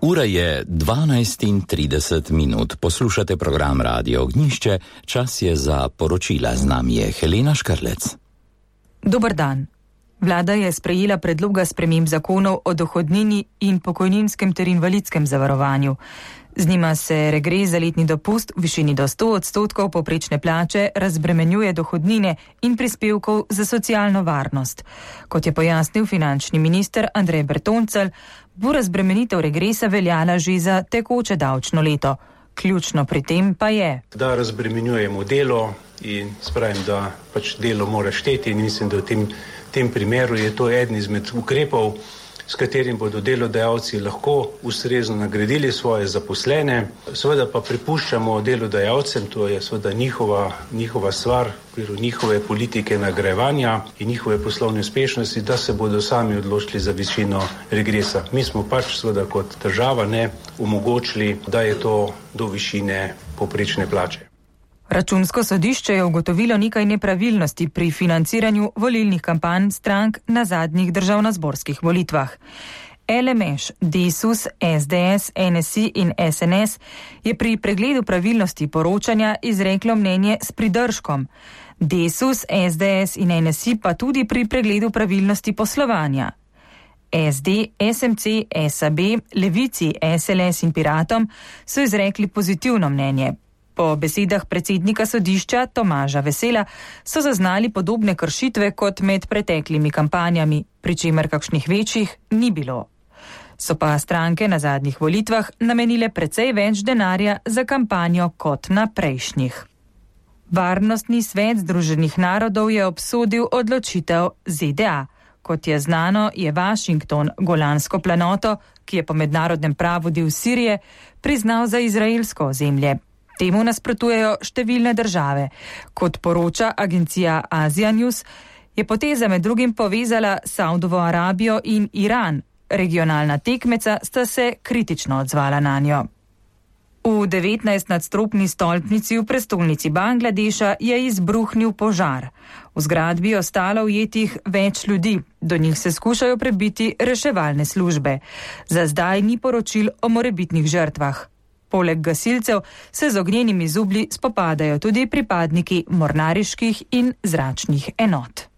Ura je 12:30. Poslušate program Radio Ognjišče. Čas je za poročila. Z nami je Helena Škrlec. Dober dan. Vlada je sprejela predloga sprememb zakonov o dohodnini in pokojninskem ter invalidskem zavarovanju. Z njima se regres za letni dopust v višini do 100% povprečne plače razbremenjuje dohodnine in prispevkov za socialno varnost. Kot je pojasnil finančni minister Andrej Bertoncelj, bo razbremenitev regresa veljala že za tekoče davčno leto. Ključno pri tem pa je, da razbremenjujemo delo in spravim, da pač delo mora šteti, in mislim, da v tem primeru je to eden izmed ukrepov, s katerim bodo delodajalci lahko ustrezno nagradili svoje zaposlene. Seveda pa prepuščamo delodajalcem, to je seveda njihova stvar, v okviru njihove politike nagrajevanja in njihove poslovne uspešnosti, da se bodo sami odločili za višino regresa. Mi smo pač seveda kot država omogočili, da je to do višine povprečne plače. Računsko sodišče je ugotovilo nekaj nepravilnosti pri financiranju volilnih kampanj strank na zadnjih državnozborskih volitvah. LMŠ, Desus, SDS, NSI in SNS je pri pregledu pravilnosti poročanja izreklo mnenje s pridržkom. Desus, SDS in NSI pa tudi pri pregledu pravilnosti poslovanja. SD, SMC, SAB, Levici, SLS in Piratom so izrekli pozitivno mnenje. Po besedah predsednika sodišča Tomaža Vesela so zaznali podobne kršitve kot med preteklimi kampanjami, pri čemer kakšnih večjih ni bilo. So pa stranke na zadnjih volitvah namenile precej več denarja za kampanjo kot na prejšnjih. Varnostni svet Združenih narodov je obsodil odločitev ZDA. Kot je znano, je Washington Golansko planoto, ki je po mednarodnem pravu del Sirije, priznal za izraelsko ozemlje. Temu nasprotujejo številne države. Kot poroča agencija Asia News, je poteza med drugim povezala Saudovo Arabijo in Iran. Regionalna tekmeca sta se kritično odzvala nanjo. V 19-nadstropni stolpnici v prestolnici Bangladeša je izbruhnil požar. V zgradbi je ostalo ujetih več ljudi. Do njih se skušajo prebiti reševalne službe. Za zdaj ni poročil o morebitnih žrtvah. Poleg gasilcev se z ognjenimi zublji spopadajo tudi pripadniki mornariških in zračnih enot.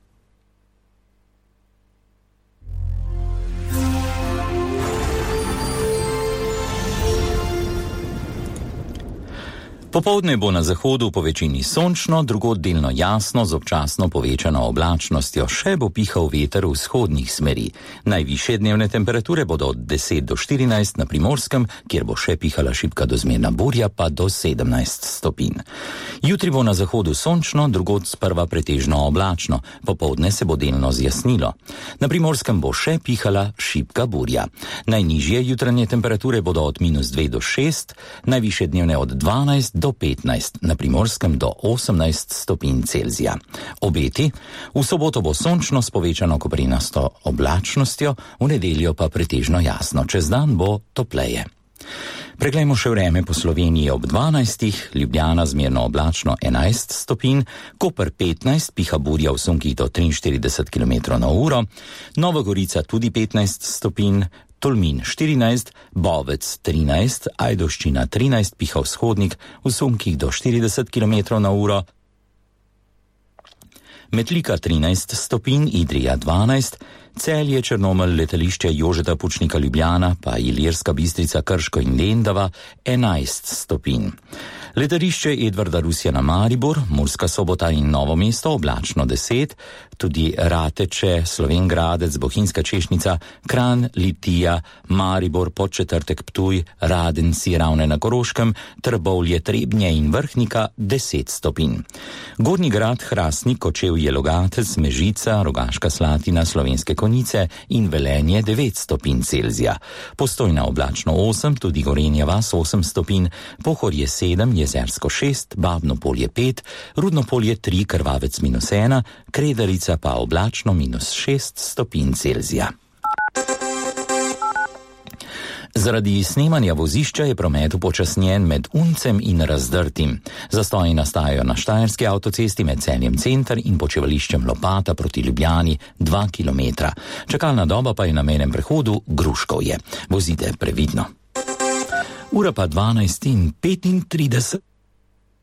Popoldne bo na zahodu po večini sončno, drugod delno jasno z občasno povečano oblačnostjo, še bo pihal veter vzhodnih smeri. Najvišje dnevne temperature bodo od 10 do 14 na Primorskem, kjer bo še pihala šibka do zmerna burja, pa do 17 stopinj. Jutri bo na zahodu sončno, drugod sprva pretežno oblačno, popoldne se bo delno zjasnilo. Na Primorskem bo še pihala šibka burja. Najnižje jutranje temperature bodo od -2 do 6, najvišje dnevne od 12 do 15, na Primorskem do 18 stopinj Celzija. Obeti: v soboto bo sončno s povečano koprenasto oblačnostjo, v nedeljo pa pretežno jasno, čez dan bo topleje. Preglejmo še vreme po Sloveniji ob 12, Ljubljana zmerno oblačno 11 stopinj, Koper 15, piha burja v sunkih do 43 km/h, Nova Gorica tudi 15 stopinj, Tolmin 14, Bovec 13, Ajdovščina 13, piha vzhodnik v sunkih do 40 km/h, Metlika 13 stopinj, Idrija 12, Celje, Črnomelj, letališče Jožeta Pučnika Ljubljana, pa Ilirska Bistrica, Krško in Lendava 11 stopinj. Letališče Edvarda Rusjana Maribor, Murska Sobota in Novo mesto oblačno 10, tudi Rateče, Slovenj Gradec, Bohinjska Češnica, Kranj, Litija, Maribor, Podčetrtek, Ptuj, Radenci, Ravne na Koroškem, Trbovlje, Trebnje in Vrhnika 10 stopinj. Gornji Grad, Hrastnik, Kočevje, Logatec, Mežica, Rogaška Slatina, Slovenske Konjice in Velenje 9 stopinj Celzija. Postojna oblačno 8, tudi Gorenja vas 8 stopinj, Pohorje 7, Jezersko 6, Babno Polje 5, Rudno Polje 3, Krvavec -1, Kredarica pa oblačno -6 stopinj Celzija. Zaradi snemanja vozišča je promet upočasnjen med Uncem in Razdrtim. Zastoji nastajajo na Štajerski avtocesti med Celjem center in počivališčem Lopata proti Ljubljani 2 km. Čakalna doba pa je na mejnem prehodu Gruškovje. Vozite previdno. Ura pa 12:35.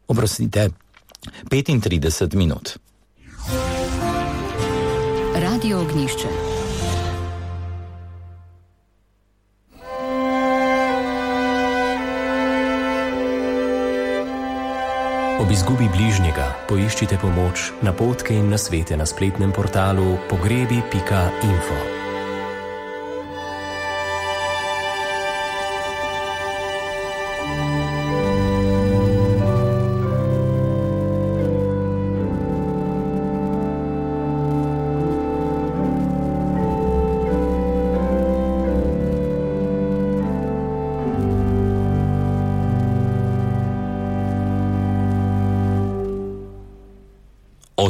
Oprostite, 35 minut. Radio Ognjišče. Ob izgubi bližnjega poiščite pomoč, napotke in nasvete na spletnem portalu pogrebi.info.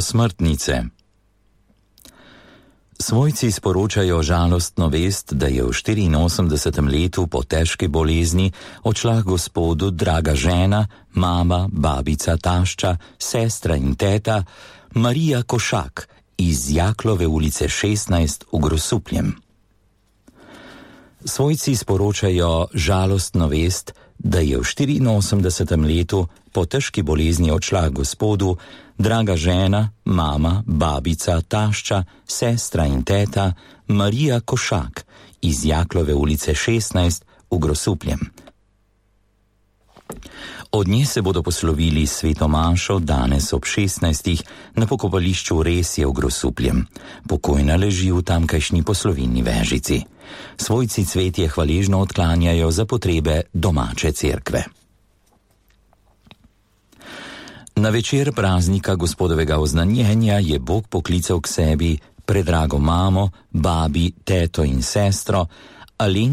Osmrtnice. Svojci sporočajo žalostno vest, da je v 84. letu po težki bolezni odšla Gospodu draga žena, mama, babica, tašča, sestra in teta Marija Košak iz Jaklove ulice 16 v Grosupljem. Svojci sporočajo žalostno vest, da je v 84. letu po težki bolezni odšla Gospodu draga žena, mama, babica, tašča, sestra in teta Marija Košak iz Jaklove ulice 16 v Grosupljem. Od nje se bodo poslovili sveto mašo danes ob 16. na pokopališču Resje v Grosupljem. Pokojna leži v tamkajšnji poslovilni vežici. Svojci cvetje hvaležno odklanjajo za potrebe domače cerkve. Na večer praznika Gospodovega oznanjenja je Bog poklical k sebi predrago mamo, babi, teto in sestro Alenko